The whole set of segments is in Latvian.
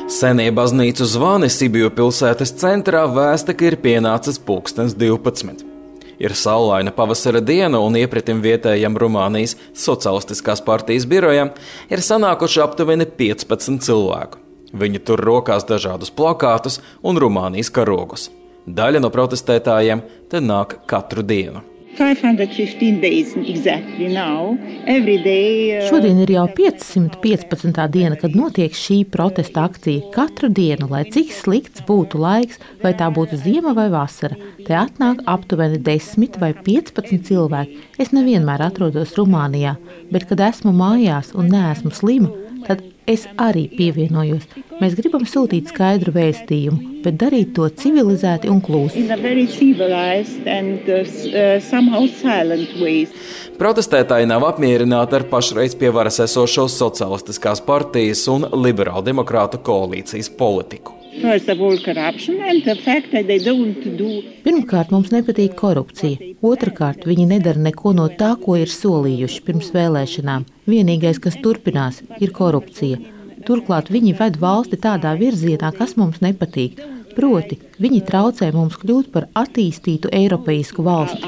Senie baznīcu zvani Sibiju pilsētas centrā vēsta, ka ir pienācis 12. Ir saulaina pavasara diena un iepratim vietējam Rumānijas Socialistiskās partijas birojam ir sanākuši aptuveni 15 cilvēku. Viņi tur rokās dažādus plakātus un Rumānijas karogus. Daļa no protestētājiem te nāk katru dienu. 515 days exactly now. Every day. Šodien ir jau 515. diena, kad notiek šī protesta akcija. Katru dienu, lai cik slikts būtu laiks, vai tā būtu ziema vai vasara, te atnāk aptuveni 10 vai 15 cilvēki. Es nevienmēr atrodos Rumānijā, bet kad esmu mājās un neesmu slima, tad es arī pievienojos. Mēs gribam sūtīt skaidru vēstījumu, bet darīt to civilizēti un klusi. Protestētāji nav apmierināti ar pašreiz pie varas esošo Socialistiskās partijas un liberāldemokrātu koalīcijas politiku. Pirmkārt, mums nepatīk korupcija. Otrakārt, viņi nedara neko no tā, ko ir solījuši pirms vēlēšanām. Vienīgais, kas turpinās, ir korupcija. Turklāt viņi ved valsti tādā virzienā, kas mums nepatīk. Proti, viņi traucē mums kļūt par attīstītu eiropeisku valsti.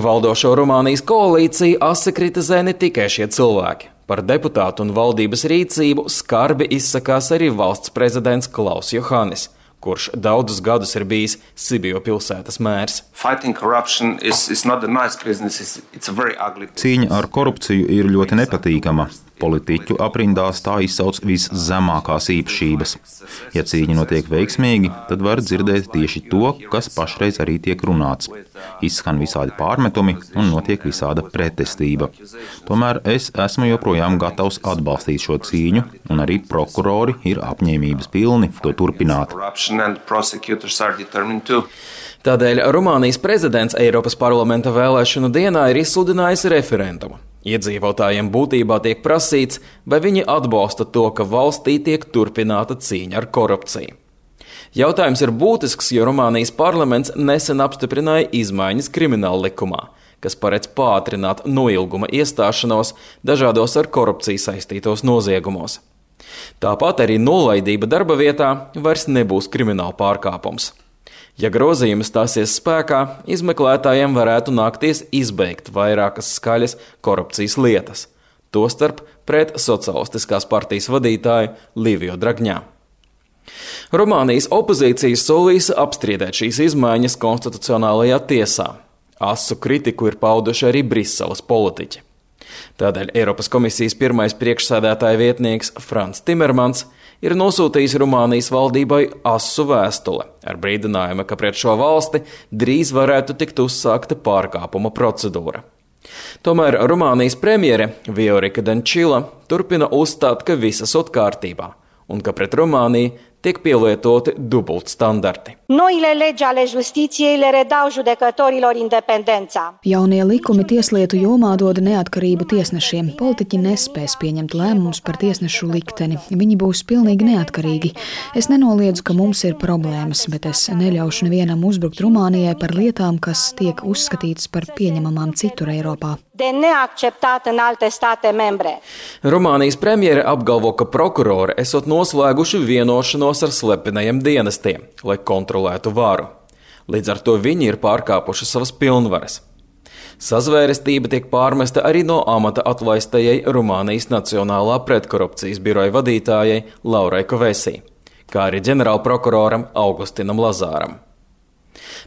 Valdošo Rumānijas koalīciju asi kritizē ne tikai šie cilvēki. Par deputātu un valdības rīcību skarbi izsakās arī valsts prezidents Klaus Johannis, kurš daudzus gadus ir bijis Sibiju pilsētas mērs. Cīņa ar korupciju ir ļoti nepatīkama. Politiķu aprindās tā izsauc viszemākās īpašības. Ja cīņa notiek veiksmīgi, tad var dzirdēt tieši to, kas pašreiz arī tiek runāts. Izskan visādi pārmetumi un notiek visāda pretestība. Tomēr es esmu joprojām gatavs atbalstīt šo cīņu, un arī prokurori ir apņēmības pilni to turpināt. Tādēļ Rumānijas prezidents Eiropas parlamenta vēlēšanu dienā ir izsludinājis referendumu. Iedzīvotājiem būtībā tiek prasīts, vai viņi atbalsta to, ka valstī tiek turpināta cīņa ar korupciju. Jautājums ir būtisks, jo Rumānijas parlaments nesen apstiprināja izmaiņas krimināla likumā, kas paredz pātrināt noilguma iestāšanos dažādos ar korupciju saistītos noziegumos. Tāpat arī nolaidība darba vietā vairs nebūs krimināla pārkāpums. Ja grozījumi stāsies spēkā, izmeklētājiem varētu nākties izbeigt vairākas skaļas korupcijas lietas, tostarp pret Socialistiskās partijas vadītāju Liviju Dragņā. Rumānijas opozīcija solīs apstrīdēt šīs izmaiņas konstitucionālajā tiesā. Asu kritiku ir pauduši arī Briseles politiķi. Tādēļ Eiropas komisijas pirmais priekšsēdētāja vietnieks Frans Timermans ir nosūtījis Rumānijas valdībai asu vēstuli ar brīdinājumu, ka pret šo valsti drīz varētu tikt uzsākta pārkāpuma procedūra. Tomēr Rumānijas premjere Viorika Dančila turpina uzstāt, ka viss esot kārtībā un ka pret Rumāniju tiek pielietoti dubultstandarti. Noile legi ale justiției le redau judecătorilor independența. Jaunie likumi tieslietu jomā dod neatkarību tiesnešiem. Politiķi nespēs pieņemt lēmumus par tiesnešu likteni. Viņi būs pilnīgi neatkarīgi. Es nenoliedzu, ka mums ir problēmas, bet es neļaušu nevienam uzbrukt Rumānijai par lietām, kas tiek uzskatītas par pieņemamām citur Eiropā. De neacceptat în alte state membre. Rumānijas premjere apgalvo, ka prokurori esot noslēguši vienošanos ar slepenajiem dienestiem, lai kontrolētu varu. Līdz ar to viņi ir pārkāpuši savas pilnvaras. Sazvērestība tiek pārmesta arī no amata atlaistajai Rumānijas Nacionālā pretkorupcijas biroja vadītājai Laurai Kovesī, kā arī ģenerālprokuroram Augustinam Lazāram.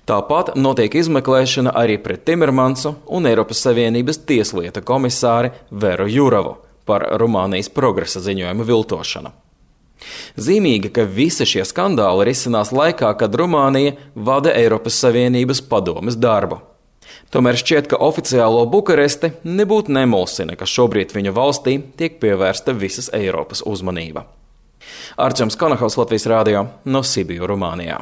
Tāpat notiek izmeklēšana arī pret Timermansu un Eiropas Savienības tieslietu komisāri Veru Jurovu par Rumānijas progresa ziņojumu viltošanu. Zīmīgi, ka visi šie skandāli risinās laikā, kad Rumānija vada Eiropas Savienības padomes darbu. Tomēr šķiet, ka oficiālo Bukaresti nebūtu nemulsina, ka šobrīd viņu valstī tiek pievērsta visas Eiropas uzmanība. Arčuns Konahaus, Latvijas radio, no Sibiju, Rumānijā.